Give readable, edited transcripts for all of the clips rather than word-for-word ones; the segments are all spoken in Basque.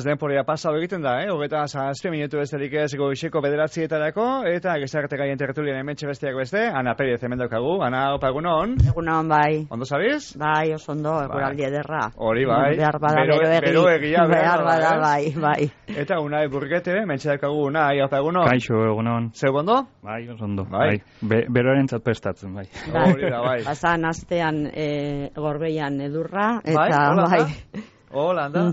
denporia pasau egiten da, Hogeta 7 minutu besterik ez goizeko 9:00 eta gizarte gaien tertulian hementxe besteak beste, Ana Perez hemen daukagu. Ana, opa, egunon? Egunon, bai. Ondo zabiz? Bai, oso ondo, eguraldi ederra. Hori, bai. Behar bada bero egia. Behar bada, bai. Eta Unai Burgete, hementxe daukagu, Unai, opa, egunon? Kaixo, egunon. Zeu ondo? Bai, oso ondo. Bai. Beroaren prestatzen, bai. Hori da, bai. Pasan astean Gorbeian edurra, eta bai. Hola, anda,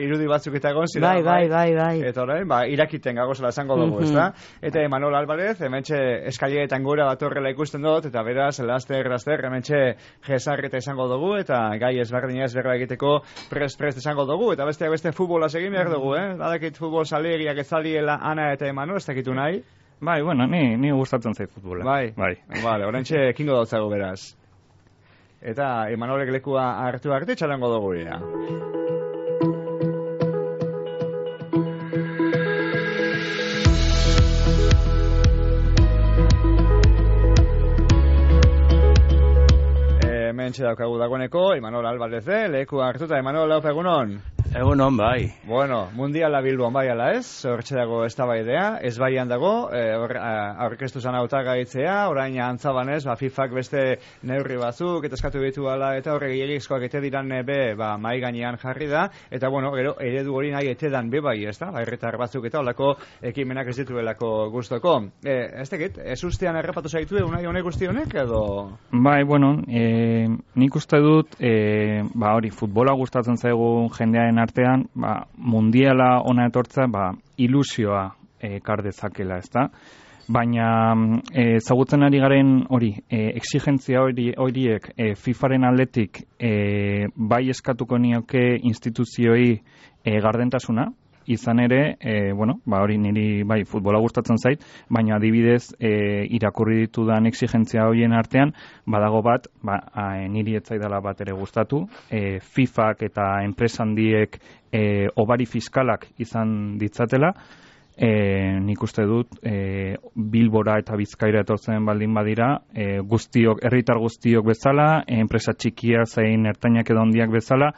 irudi batzuk eta egon zira. Bai. Eta orain, irakiten gagozela esango dugu, ezta? Eta Manol Alvarez, hementxe eskaileetan gora batorrela ikusten dut, eta beraz, laster, hementxe jesarreta esango dugu, eta gai ezberdina ezberra egiteko prest esango dugu, eta besteak beste futbolaz egin behar dugu, Badakit futbol salegiak ezaliela Ana eta Manol, ez dakitu nahi? Bai, bueno, ni gustatzen zait futbola. Bai. Vale, oraintxe ekingo dautzago beraz. Eta Emanolek lekua hartu arte txalango dugu ea. Hementxe daukagu dagoeneko, Imanol Alvarez, lekua hartuta. Imanol, laupa egunon? Egunon, bai. Bueno, mundiala Bilbon bai ala ez, hortxe dago eztabaidea, ez baian dago, aurkeztu zan hautagaitzea, orain antzabanez, FIFak beste neurri batzuk, eta eskatu ditu ala, eta horrek gehiagizkoak ete diran mai gainean jarri da, eta bueno, gero, eredu hori nahi etedan bai, ez da, herritar batzuk eta olako ekimenak ez dituelako gustoko. Ez tekit, ez ustean errepatu zaitu unai honek guzti honek, edo? Bai, bueno, nik uste dut, hori, futbola gustatzen zaigu jendearen artean, mundiala ona etortza, ilusioa ekar dezakela, ezta? Baina ezagutzen ari garen hori, exigentzia horiek FIFaren aldetik bai eskatuko nioke instituzioi gardentasuna, izan ere, hori niri bai futbola gustatzen zait, baina adibidez irakurri ditudan exigentzia horien artean, badago bat, niri ez zaidala bat ere gustatu, FIFak eta enpresa handiek obari fiskalak izan ditzatela, nik uste dut Bilbora eta Bizkaira etortzen baldin badira, herritar guztiok bezala, enpresa txikia zein ertainak edo handiak bezala,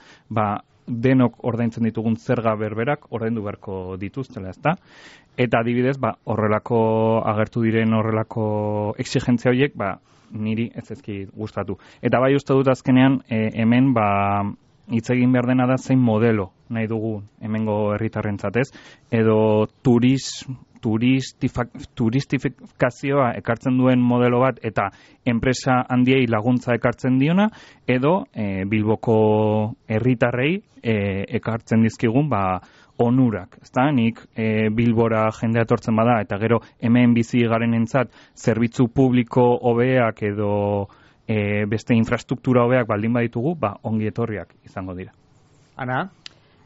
denok ordaintzen ditugun zerga berberak ordaindu beharko dituztela, ezta? Eta adibidez, horrelako agertu diren horrelako exigentzia horiek, niri ez ezki gustatu. Eta bai uste dut azkenean hemen hitz egin behar dena da zein modelo nahi dugu hemengo herritarrentzat, ez? Edo turistifikazioa ekartzen duen modelo bat eta enpresa handiei laguntza ekartzen diona, edo Bilboko herritarrei ekartzen dizkigun onurak, ezta? Nik Bilbora jendea etortzen bada eta gero hemen bizi garenentzat zerbitzu publiko hobeak edo beste infrastruktura hobeak baldin baditugu, ongi etorriak izango dira. Ana?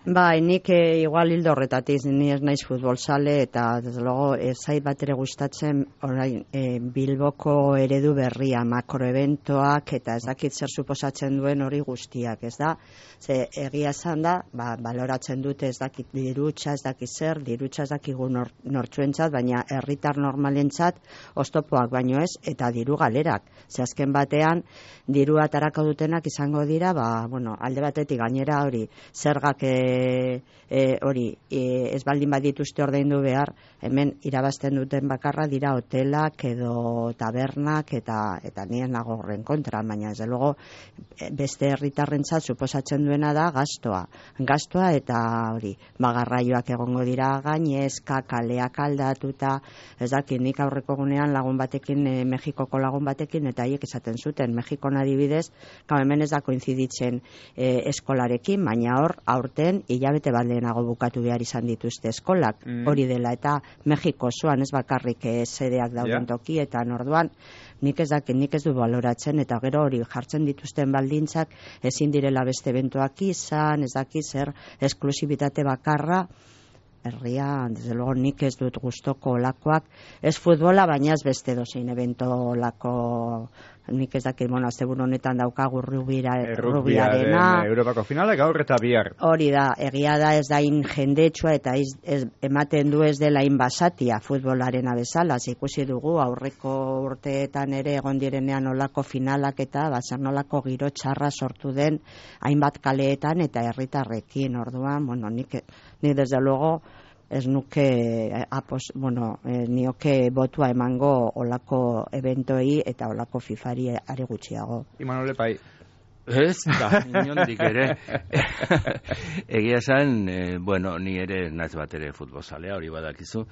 Bai, nik igual hildo horretatik, ni ez naiz futbol sale, eta desde luego zait bat ere gustatzen orain Bilboko eredu berria, makroeventoak eta ez dakit zer suposatzen duen hori guztiak, ez da? Ze egia esan da, baloratzen dute ez dakit dirutza, ez dakit zer, dirutza ez dakigu nortzuentzat, baina herritar normalentzat oztopoak baino ez, eta diru galerak. Ze azken batean, dirua atarako dutenak izango dira, alde batetik gainera hori, zergak ez baldin badituzte ordaindu behar, hemen irabazten duten bakarra dira hotelak edo tabernak eta nien nago horren kontra, baina ez luego beste herritarrentzat suposatzen duena da gastoa eta hori, garraioak egongo dira gainezka, kaleak aldatuta, ez dakit nik aurreko gunean lagun batekin, Mexikoko lagun batekin, eta haiek esaten zuten, Mexikon adibidez, hemen ez da koinziditzen eskolarekin, baina hor aurten hilabete bat lehenago bukatu behar izan dituzte eskolak, hori dela, eta Mexiko osoan ez bakarrik sedeak dauden tokietan, orduan nik ez du baloratzen, eta gero hori jartzen dituzten baldintzak ezin direla beste eventuak izan, ez dakit zer esklusibitate bakarra, herria, desde luego nik ez dut gustoko olakoak, ez futbola, baina ez beste dozein evento olako nik ez dakit, asteburu honetan daukagu rubiarena. Europako finala gaur eta bihar. Hori da, egia da ez da jendetsua eta ematen du ez dela basatia futbolarena bezala, ikusi dugu aurreko urteetan ere egon direnean olako finalak eta zer nolako giro txarra sortu den hainbat kaleetan eta herritarrekin. Orduan, nik desde luego ez nuke nioke botua emango olako eventoei eta olako fifari are gutxiago. Imanol Epai. Ez, inondik ere. Egia esan, ni ere naiz bat ere futbolzalea, hori badakizu,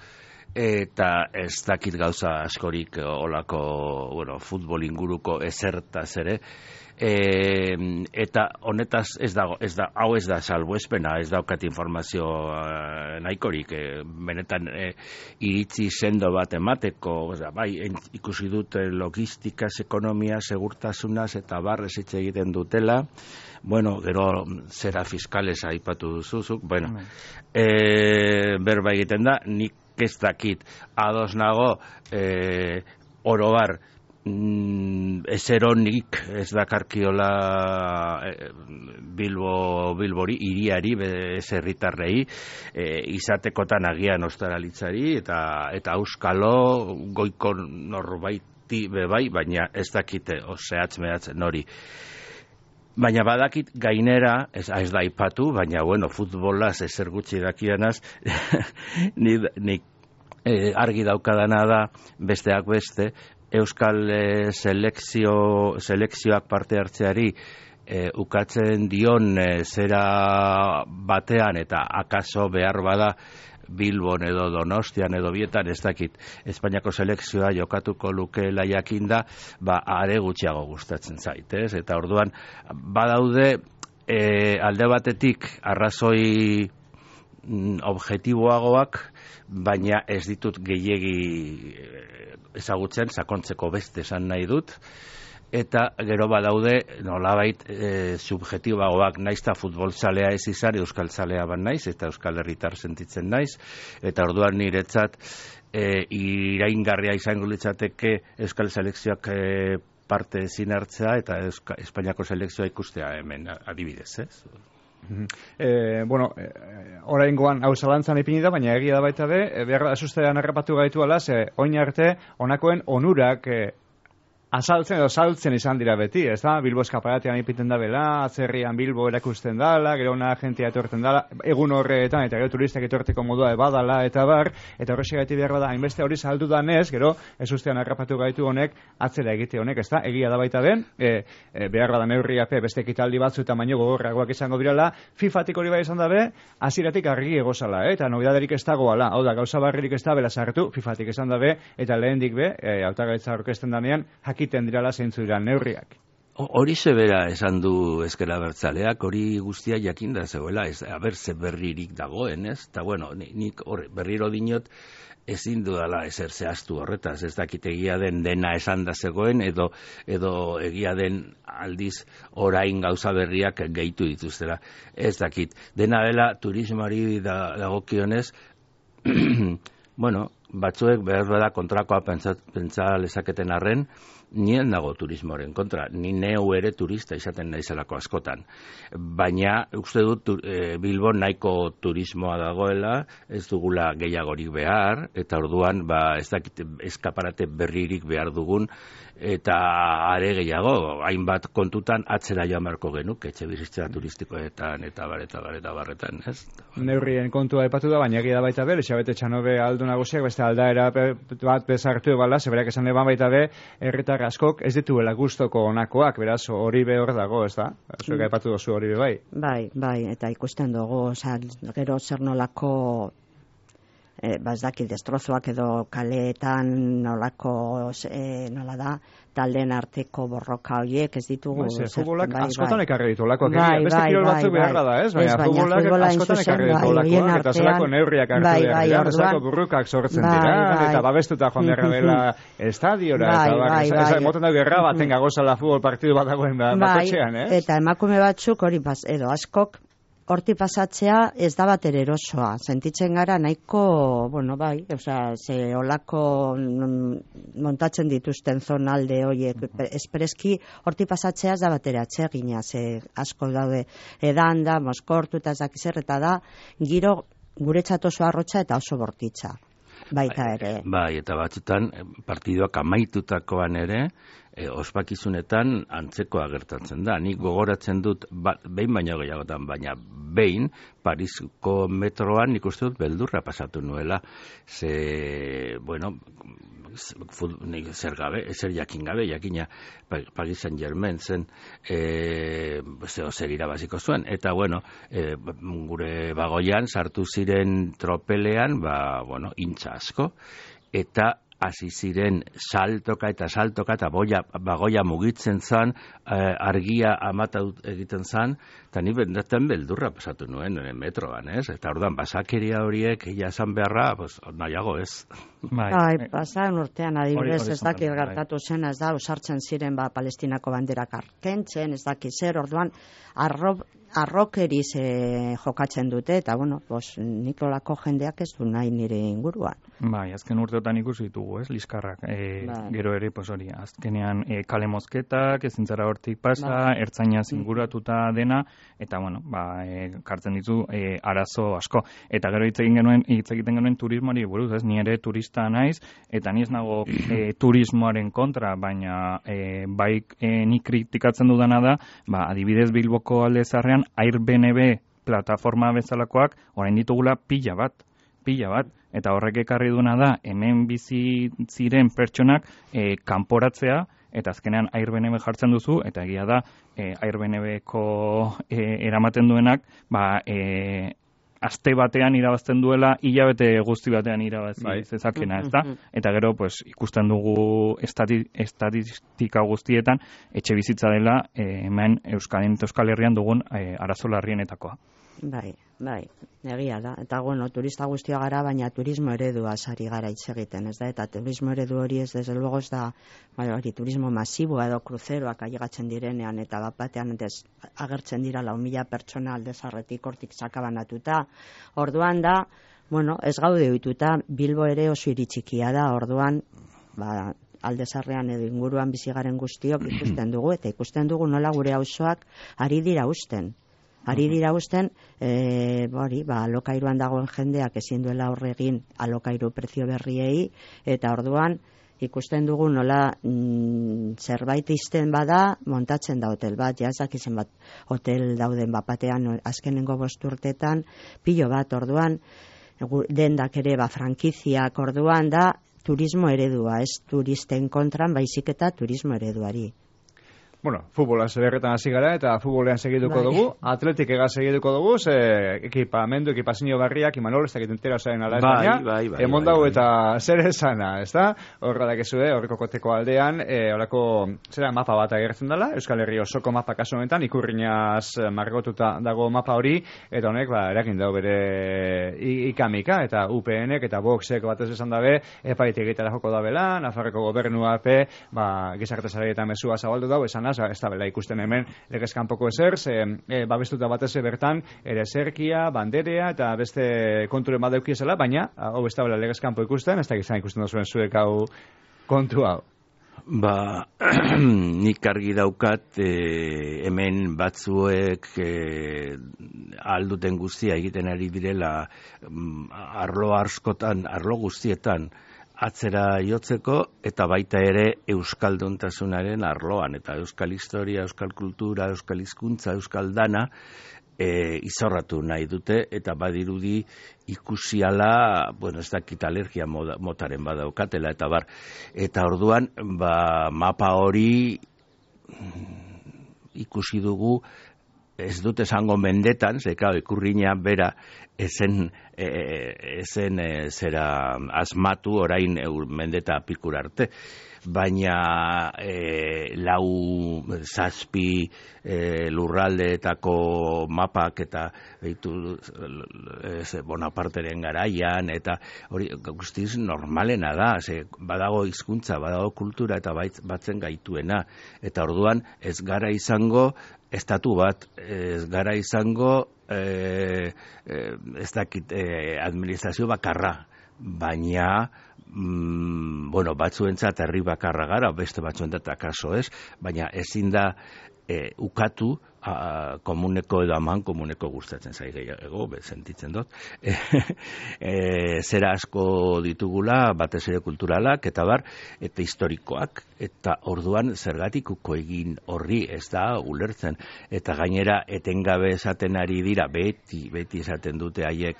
eta ez dakit gauza askorik olako, futbol inguruko ezertaz ere, eta honetaz hau ez da salbuespena, ez daukat informazio nahikorik, benetan iritzi sendo bat emateko, bai, ikusi dut logistikaz, ekonomia, segurtasunaz eta barrez hitz egiten dutela, gero zera fiskales aipatu duzuzuk, berba egiten da, nik ez dakit, ados nago, orobar, ezeronik ez dakarkiola Bilbori, hiriari, ez herritarrei, izatekotan agian ostaralitzari, eta auskalo goiko norbaiti bebai, baina ez dakite, zehatz nori. Baina badakit gainera, ez da ipatu, baina futbolaz ezer gutxi dakianaz, nik argi daukadana da, besteak beste, Euskal selekzioak parte hartzeari ukatzen dion zera batean eta akaso behar bada Bilbon edo Donostian edo bietan, ez dakit, Espainiako selekzioa jokatuko lukeela jakinda, are gutxiago gustatzen zait, ez? Eta orduan, badaude alde batetik arrazoi objektiboagoak, baina ez ditut gehiegi ezagutzen, sakontzeko beste esan nahi dut, eta gero badaude nolabait subjektiboagoak, naizta futbolzalea ez izan, euskaltzalea ban naiz, eta euskal herritar sentitzen naiz, eta orduan niretzat iraingarria izango litzateke euskal selekzioak parte ezin hartzea, eta Espainiako selekzioa ikustea hemen adibidez, ez? Oraingoan hau zalantzan ipini da, baina egia da baita be, behar asustean harrapatu gaitu ala, oin arte honakoen onurak azaltzen edo saltzen izan dira beti, ez da? Bilbo eskaparatean ipiten da bela, atzerrian Bilbo erakusten dala, gero ona agentia etorten dala, egun horretan, eta gero turistak etorteko modua badala, eta bar, eta horrexegaiti behar bada, hainbeste hori saldu danez, gero, ez ustean harrapatu gaitu honek, atzera egite honek, ez da? Egia da baita den, behar bada neurriape beste ekitaldi batzu eta baino gogorragoak izango birala, FIFatik hori bai izan dabe, hasieratik argi egozala, eta nobidaderik ez dagoala, hau da, gauza barririk ez da bela sartu, FIFatik izan dabe, eta lehendik be, hautagaitza aurkezten danean, jakiten dirala zeintzu dira neurriak. Hori zebera esan du Ezker Abertzaleak, hori guztia jakinda zegoela, ze berririk dagoen, ez? Eta nik berriro dinot ezin dudala ezer zehaztu horretaz, ez dakit egia den dena esan da zegoen, edo egia den aldiz orain gauza berriak gehitu dituztela. Ez dakit, dena dela turismoari dagokionez, batzuek behar bada kontrakoa pentsa lezaketen arren, nien dago turismoaren kontra, ni neu ere turista izaten naizelako askotan. Baina, uste dut Bilbon nahiko turismoa dagoela, ez dugula gehiagorik behar, eta orduan, ez dakit eskaparate berririk behar dugun, eta are gehiago, hainbat kontutan atzera joan beharko genuk, etxe bizitza turistikoetan, eta barretan, ez? Neurrien kontua epatu da, baina egia baita be, Elizabete Txanobe aldu nagusiak, beste aldaera bat bezartu ebala, zeberak esan eban baita be, herritar askok ez dituela gustoko onakoak, beraz, hori be hor dago, ez da? Zuek epatu dozu hori be bai? Bai, eta ikusten dugu, gero zer nolako ez dakit destrozoak edo kaleetan nolako nola da taldeen arteko borroka horiek ez ditugu. Futbolak askotan ekarri ditu olakoak. Beste kirol batzuk beharra da, ez? Baina futbolak askotan ekarri ditu olakoak, eta zelako neurriak hartu behar dira, zelako burrukak sortzen dira, eta babestuta joan beharra dela estadiora, eta moten da gerra baten gagozala futbol partidu bat dagoen bakotxean, ez? Eta emakume batzuk hori edo askok horti pasatzea ez da bat erosoa. Sentitzen gara nahiko, bueno, bai, ze olako montatzen dituzten zonalde horiek espreski horti pasatzea ez da bat atsegina, ze asko daude edanda, moskortu eta ez dakiz zer, eta da giro guretzat oso arrotza eta oso bortitza. Baita ere. Bai, eta batzutan partiduak amaitutakoan ere, ospakizunetan antzekoa gertatzen da. Nik gogoratzen dut, behin baino gehiagotan, baina behin, Parisko metroan nik uste dut beldurra pasatu nuela. Ze, bueno, zer jakin gabe, jakina Paris Saint-Germain zen, zer irabaziko zuen. Eta, bueno, gure bagoian sartu ziren tropelean, bueno, intza asko, eta hasi ziren saltoka eta bagoia mugitzen zan, argia amata egiten zan, eta ni bendaten beldurra pasatu nuen metroan, ez? Eta orduan, basakeria horiek jasan beharra, nahiago ez. Bai, pasan urtean adibidez ez dakit gertatu zen, ez da, usartzen ziren Palestinako banderak arkentzen, ez dakit zer, orduan, arrokeriz jokatzen dute, eta, bueno, Nikolako jendeak ez du nahi nire inguruan. Bai, azken urteotan ikusi ditugu, ez, liskarrak. Gero ere, hori, azkenean kale mozketak, ezintzara hortik pasa, ertzaina zinguratuta dena, eta, bueno, kartzen ditu arazo asko. Eta gero hitz egiten genuen turismoari buruz, ez, ni ere turista naiz, eta ni ez nago turismoaren kontra, baina bai ni kritikatzen dudana da, adibidez Bilboko alde zarrean, Airbnb plataforma bezalakoak, orain ditugula pila bat, eta horrek ekarri duna da, hemen bizi ziren pertsonak kanporatzea, eta azkenean Airbnb jartzen duzu, eta egia da, Airbnb-ko eramaten duenak, aste batean irabazten duela, hilabete guzti batean irabazi zezakena, ez da? Eta gero, ikusten dugu estatistika guztietan, etxe bizitza dela, hemen Euskal Herrian dugun arazo larrienetakoa. Bai, egia da. Eta, bueno, turista guztia gara, baina turismo eredua sari gara hitz egiten, ez da? Eta turismo eredu hori ez, desde luego, ez da, turismo masiboa edo kruzeroak ailegatzen direnean, eta batean agertzen dira 4.000 pertsona aldezarretik hortik sakabanatuta. Orduan da, bueno, ez gaude ohituta, Bilbo ere oso hiri txikia da, orduan, aldezarrean edo inguruan bizigaren guztiok ikusten dugu, eta ikusten dugu nola gure auzoak ari dira usten, alokairuan dagoen jendeak ezin duela horregin alokairu prezio berriei, eta orduan ikusten dugu nola zerbait izten bada montatzen da hotel bat, jazak izan bat hotel dauden bapatean azkenengo 5 urtetan, pilo bat orduan, dendak ere frankiziak orduan da turismo eredua, ez turisten kontran, baizik eta turismo ereduari. Bueno, futbola zederretan hasi gara eta futbolean segituko dugu, atletik ega segituko dugu, ze ekipazio barriak, Imanol, ez dakit entera zaren ala Espainia, emon dago eta zer esana, ez da? Horra dakezue, horreko koteko aldean, horako zera mapa bat agertzen dela, Euskal Herri osoko mapa kasu honetan, ikurrinaz margotuta dago mapa hori, eta honek, erakin dago bere ikamika, eta UPNek eta Voxek batez esan dabe, epaitik egitara joko dabela, Nafarroko gobernua gizarte sareetan mesua zabaldu dago, esan ez da bela ikusten hemen legezkanpoko ezer, babestuta batez bertan ere zerkia, banderea eta beste konturen bat daukiezela, baina hau ez da bela legezkanpo ikusten, ez da gizan ikusten duzuen zuek hau kontu hau. Nik argi daukat hemen batzuek alduten guztia egiten ari direla arlo guztietan atzera jotzeko, eta baita ere euskalduntasunaren arloan, eta euskal historia, euskal kultura, euskal hizkuntza, euskal dana izorratu nahi dute, eta badirudi ikusiala, bueno, ez dakit alergia motaren badaukatela, eta orduan, mapa hori ikusi dugu, ez dut esango mendetan, ikurrina bera ezen zera asmatu orain mendeta pikur arte. baina zazpi lurraldeetako mapak eta Bonaparteren garaian, eta hori guztiz normalena da, badago hizkuntza, badago kultura eta batzen gaituena, eta orduan ez gara izango estatu bat, ez gara izango ez dakit administrazio bakarra, baina batzuentzat herri bakarra gara, beste batzuentzat akaso ez, baina ezin da ukatu komuneko edo aman komuneko gustatzen zai gehiago, sentitzen dut. Zera asko ditugula, batez ere kulturalak, eta eta historikoak, eta orduan zergatik uko egin horri ez da ulertzen. Eta gainera etengabe esaten ari dira, beti esaten dute haiek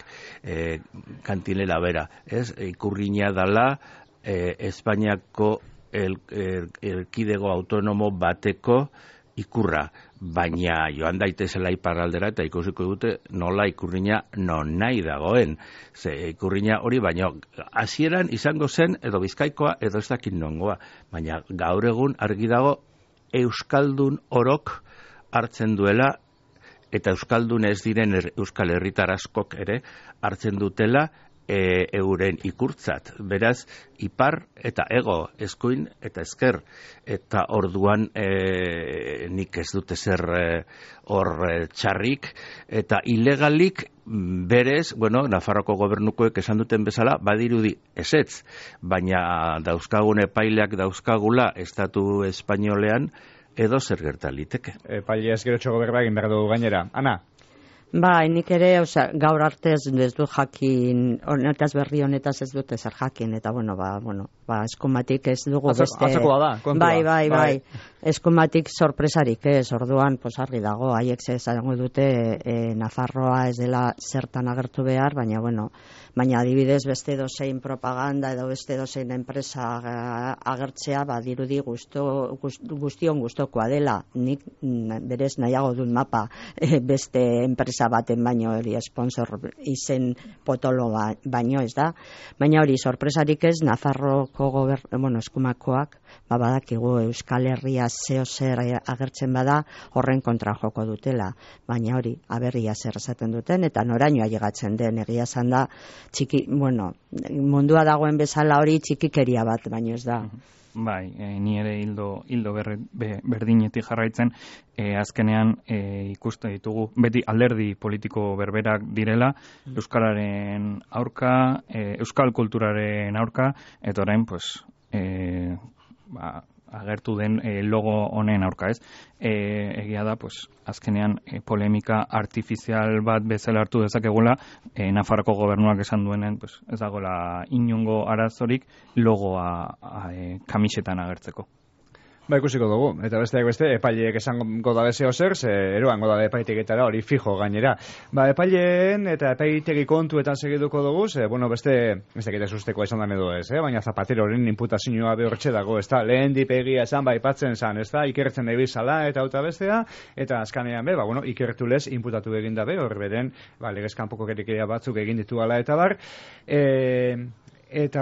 kantilela bera, ez? Ikurrina dala Espainiako erkidego autonomo bateko ikurra, baina joan daitezela iparraldera eta ikusiko dute nola ikurrina non nahi dagoen. Ikurrina hori baino hasieran izango zen edo Bizkaikoa edo ez dakit nongoa, baina gaur egun argi dago euskaldun orok hartzen duela, eta euskaldun ez diren euskal herritar askok ere hartzen dutela euren ikurtzat. Beraz, ipar eta ego, eskuin eta ezker, eta orduan nik ez dute zer hor txarrik, eta ilegalik berez, Nafarroko gobernukoek esan duten bezala, badirudi ezetz, baina dauzkagun epaileak dauzkagula estatu espainolean edo zer gerta liteke. Epaile ez gero txogo berba egin behar dugu gainera. Ana? Nik ere, gaur arte ez dut jakin, honetaz berri honetaz ez dut ezer jakin, eta eskumatik ez dugu beste... Atzakoa da, kontua. Bai. Eskumatik sorpresarik ez, orduan, argi dago, haiek zango dute Nafarroa ez dela zertan agertu behar, baina adibidez beste dozein propaganda edo beste dozein enpresa agertzea, dirudi guztion gustokoa dela, nik berez nahiago dut mapa beste enpresa baten baino hori sponsor izen potolo baino ez da, baina hori sorpresarik ez Nafarroko eskumakoak badakigu Euskal Herria zeo zer agertzen bada horren kontra joko dutela, baina hori aberria zer esaten duten eta noraino ailegatzen den, egia esan da mundua dagoen bezala hori txikikeria bat baino ez da. Bai, ni ere hildo berdinetik jarraitzen, azkenean ikuste ditugu, beti alderdi politiko berberak direla, euskararen aurka, euskal kulturaren aurka, eta orain, agertu den logo honen aurka, ez? Egia da, azkenean polemika artifizial bat bezala hartu dezakegula, Nafarroko gobernuak esan duenen, ez dagoela inongo arazorik logoa kamisetan agertzeko. Ikusiko dugu, eta besteak beste, epaileek esango da bezeo zer, eroango da epaiteketara hori fijo gainera. Epaileen eta epaitegi kontuetan segiduko dugu, beste dakite susteko esan dan edo ez, baina Zapateroren inputazioa behortxe dago, ez da, lehen dipegia esan aipatzen zan, ez da, ikertzen nahi bizala eta auta bestea, eta azkanean ikertu lez inputatu egin dabe, hor beren, legez kanpoko kerikeria batzuk egin ditu ala eta bar, eta,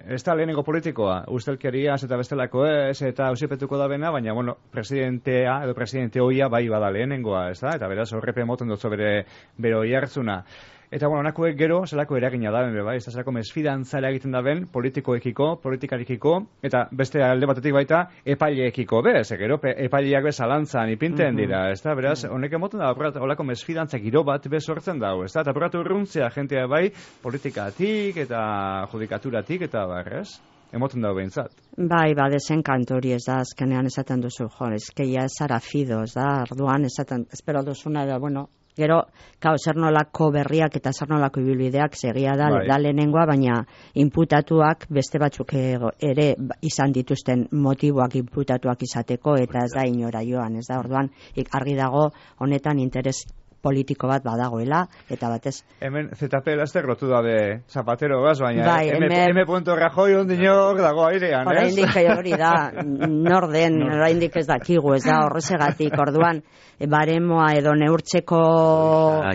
ez da lehenengo politikoa, ustelkeriaz eta bestelako ez, eta ausipetuko da bena, baina, presidentea edo presidente hoia bai bada lehenengoa, ez da, eta beraz horrepe moten dutzo bere hoi hartzuna. Eta, onakoek gero, zelako eragina da, ez da, zelako mesfidantza egiten da ben, politikoekiko, politikarikiko, eta beste alde batetik baita, epaileekiko, gero, epaileak bezalantzan ipinten dira, ez da, beraz, honek emoten da, holako mesfidantza giro bat bezortzen dago, ez da, eta apuratu urruntzea jentea bai, politikatik eta judikaturatik, eta ez? Emoten dago behintzat. Dezen kantori ez da, azkenean esaten duzu, eskeia zara fido, ez da, arduan esaten, espero duzuna da, gero, zer nolako berriak eta zer nolako ibilbideak segia da lehenengoa, baina inputatuak beste batzuk ere izan dituzten motiboak inputatuak izateko, eta ez da inora joan, ez da, orduan, argi dago honetan interes politiko bat badagoela, eta batez... Hemen ZP laster lotu dabe Zapatero gaz, baina bai, M. Rajoy ondino dago airean, ez? Oraindik hori da, norden, oraindik ez dakigu, ez da, horrezegatik, orduan, baremoa edo neurtzeko...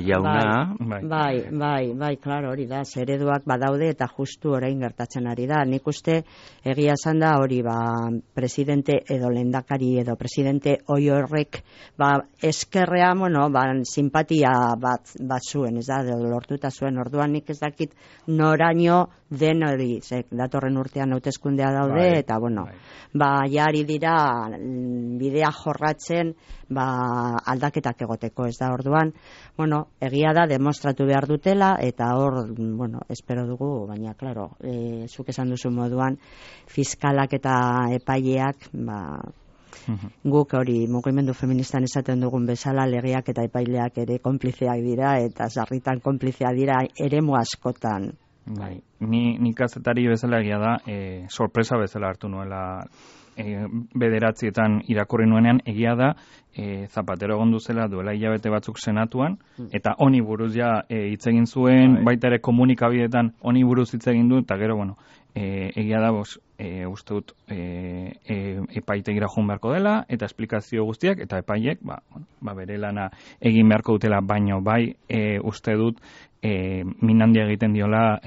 Jauna. Bai, klaro, hori da, zereduak badaude eta justu orain gertatzen ari da. Nik uste egia esan da hori, presidente edo lehendakari edo presidente oi horrek, eskerrea, simpatia bat zuen, ez da, lortuta zuen, orduan nik ez dakit noraino den hori, datorren urtean hauteskundea daude, eta jari dira bidea jorratzen, aldaketak egoteko, ez da, orduan, egia da, demostratu behar dutela, eta hor, espero dugu, baina, klaro, zuk esan duzu moduan, fiskalak eta epaileak, guk hori mugimendu feministan esaten dugun bezala legeak eta epaileak ere konplizeak dira, eta sarritan konplizeak dira eremu askotan. Bai, ni kazetari bezala egia da, sorpresa bezala hartu nuela bederatzietan irakurri nuenean, egia da, Zapatero egondu zela duela hilabete batzuk senatuan, eta honi buruz hitz egin zuen, baita ere komunikabideetan honi buruz hitz egin du, eta gero, egia da, uste dut epaitegira joan beharko dela, eta esplikazio guztiak, eta epaiek, bere lana egin beharko dutela, baino uste dut minandia egiten diola,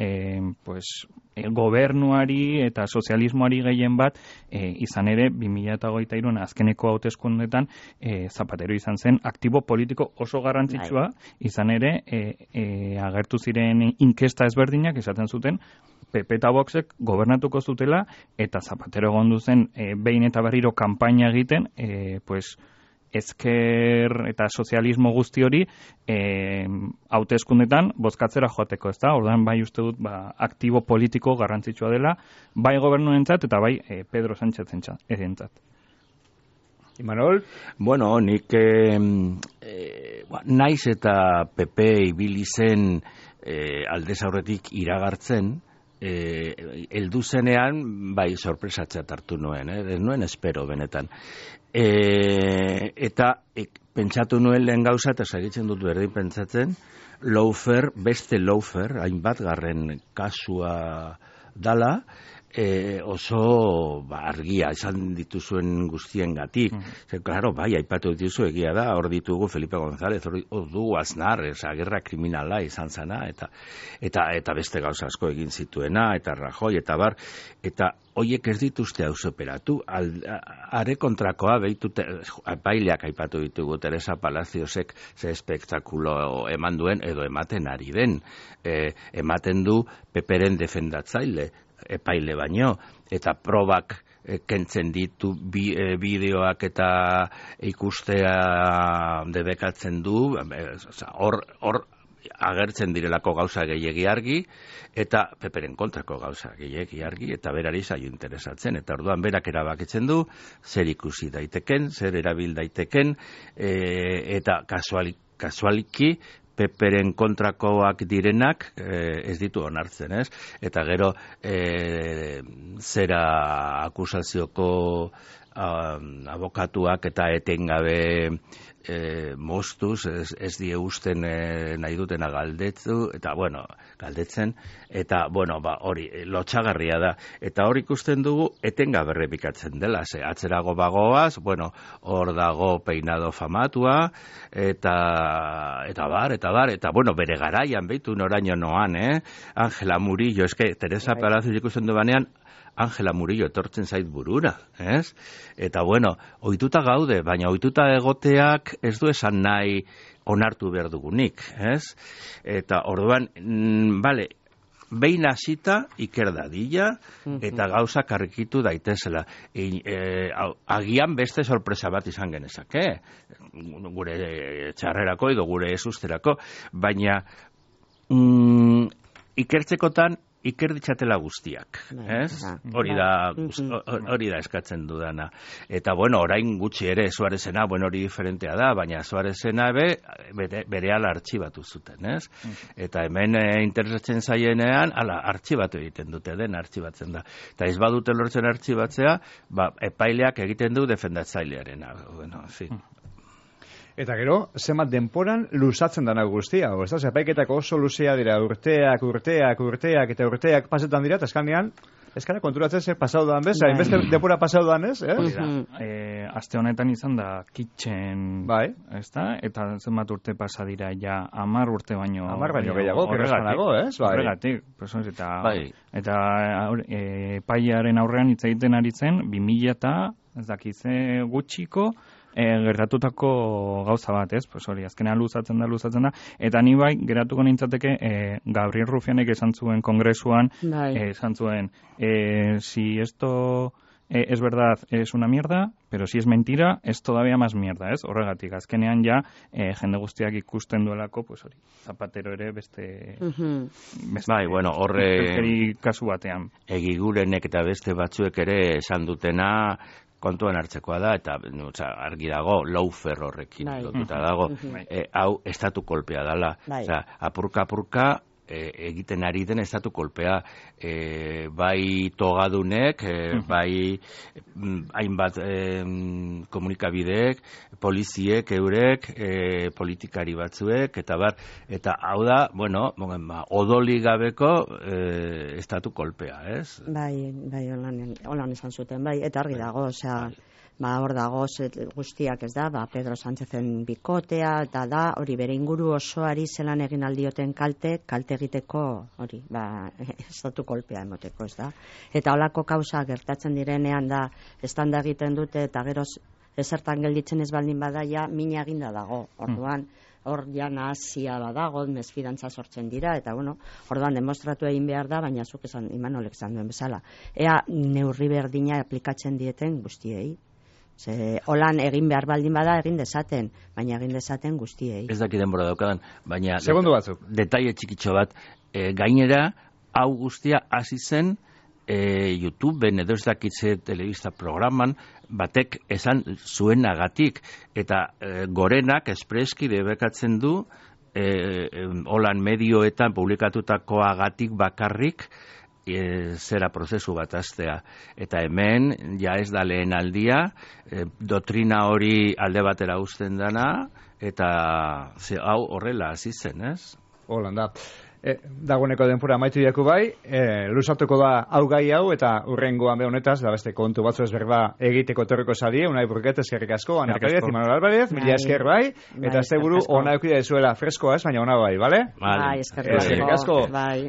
gobernuari eta sozialismoari gehien bat, izan ere 2023 azkeneko hauteskundeetan Zapatero izan zen aktibo politiko oso garrantzitsua, izan ere agertu ziren inkesta ezberdinak esaten zuten PP eta Voxek gobernatuko zutela, eta Zapatero egondu zen behin eta berriro kanpaina egiten, ezker eta sozialismo guzti hori hauteskundetan bozkatzera joateko, ez da? Orduan uste dut aktibo politiko garrantzitsua dela, bai gobernuentzat eta bai Pedro Sánchezentzat. Imanol? Bueno, nik naiz eta PP ibili zen aldez aurretik iragartzen, heldu zenean, sorpresatzat hartu nuen, ez nuen espero benetan. Eta pentsatu nuen lehen gauza, eta segitzen dut berdin pentsatzen, beste lawfare, hainbat garren kasua dala, oso argia izan dituzuen guztiengatik. Claro, aipatu dituzu egia da, hor ditugu Felipe González, hor dugu Aznar, gerra kriminala izan zana, eta beste gauza asko egin zituena, eta Rajoy, eta hoiek ez dituzte auzoperatu, are kontrakoa behitute, epaileak aipatu ditugu, Teresa Palaciosek ze espektakulo eman duen, edo ematen ari den, ematen du Peperen defendatzaile, epaile baino, eta probak kentzen ditu bideoak eta ikustea debekatzen du, hor agertzen direlako gauza gehiegi argi, eta Peperen kontrako gauza gehiegi argi, eta berari zaio interesatzen, eta orduan berak erabakitzen du, zer ikusi daiteken, zer erabil daiteken, eta kasualiki, Peperen kontrakoak direnak ez ditu onartzen, ez? Eta gero zera akusazioko abokatuak eta etengabe moztuz, ez die usten nahi dutena galdetzen, eta hori lotxagarria da, eta hor ikusten dugu etengabe errepikatzen dela, atzerago bagoaz, hor dago peinado famatua, eta bere garaian behitu noraino noan, Ángela Murillo, Teresa Palacios ikusten du banean, Ángela Murillo etortzen zait burura, ez? Eta ohituta gaude, baina ohituta egoteak ez du esan nahi onartu behar dugunik, ez? Eta orduan, behin hasita iker dadila, eta gauza karrikitu daitezela. Agian beste sorpresa bat izan genezake, gure txarrerako edo gure ezusterako, baina ikertzekotan iker ditzatela guztiak, ez? Hori da eskatzen dudana. Eta orain gutxi ere Suarezena, hori diferentea da, baina Suarezena berehala artxibatu zuten, ez? Eta hemen interesatzen zaienean, artxibatu egiten dute, den artxibatzen da. Eta ez badute lortzen artxibatzea, epaileak egiten du defendatzailearena. Eta gero, zenbat denporan luzatzen dana guztia, hau, ez da? Epaiketak oso luzea dira, urteak, eta urteak pasetan dira, eta eskanean, eskara konturatzen zer pasau doan bez, hainbeste denpora pasau doan ez, aste honetan izan da kitchen, ez da? Eta zenbat urte pasa dira, ja 10 urte baino. 10 baino gehiago, horregatik, ez? Horregatik, eta epailearen aurrean hitz egiten ari zen, 2000 eta, ez dakize gutxiko, gertatutako gauza bat, ez? Pues hori, azkenean luzatzen da, eta ni bai, geratuko nintzateke, Gabriel Rufianek esan zuen kongresuan, esan zuen, si esto es verdad, es una mierda, pero si es mentira, es todavía más mierda, ez? Horregatik, azkenean ja, jende guztiak ikusten duelako, pues hori, Zapatero ere beste... Bai, bueno, horre... kasu batean. Egigurenek eta beste batzuek ere esan dutena, kontuan hartzekoa da, eta argi dago, laufer horrekin lotuta dago, hau estatu kolpea dela. Apurka, egiten ari den estatu kolpea, bai togadunek, bai hainbat komunikabideek, poliziek, eurek, politikari batzuek, eta hau da, bueno, odoli gabeko estatu kolpea, ez? Bai, holan esan zuten, bai, eta argi dago, osea, hor dago guztiak ez da, Pedro Sánchezen bikotea, eta da, hori bere inguru osoari zelan egin aldioten kalte egiteko, hori, estatu kolpea emoteko, ez da. Eta holako kausa gertatzen direnean da, estanda egiten dute, eta gero ezertan gelditzen ez baldin bada, ja, mina eginda dago, orduan, hor ja nahazia badago, mesfidantza sortzen dira, eta bueno, orduan demostratu egin behar da, baina zuk esan, Imanolek esan duen bezala. Ea neurri berdina aplikatzen dieten guztiei. Holan egin behar baldin bada egin dezaten, baina egin dezaten guztiei. Ez dakit denbora daukadan, baina segundu batzuk. Detaile txikitxo bat, gainera, hau guztia hasi zen YouTubeen edo ez dakitze telebista programan batek esan zuenagatik, eta Gorenak espreski debekatzen du holan medioetan publikatutakoagatik bakarrik zera prozesu bat hastea. Eta hemen, ja ez da lehen aldia, doktrina hori alde batera uzten dana, eta hau horrela hasi zen, ez? Holanda. Dagoeneko denpora amaitu diaku bai, luzatuko da hau gai hau, eta urrengoan be honetaz, da beste kontu batzu ezberba egiteko torriko sadie, Unai Burket, eskerrik asko, Ana Pérez, Imanol Álvarez, mila esker bai, eta ez buru ona eukide zuela freskoa ez, baina ona bai, bale? Bai, eskerrik asko. Bai.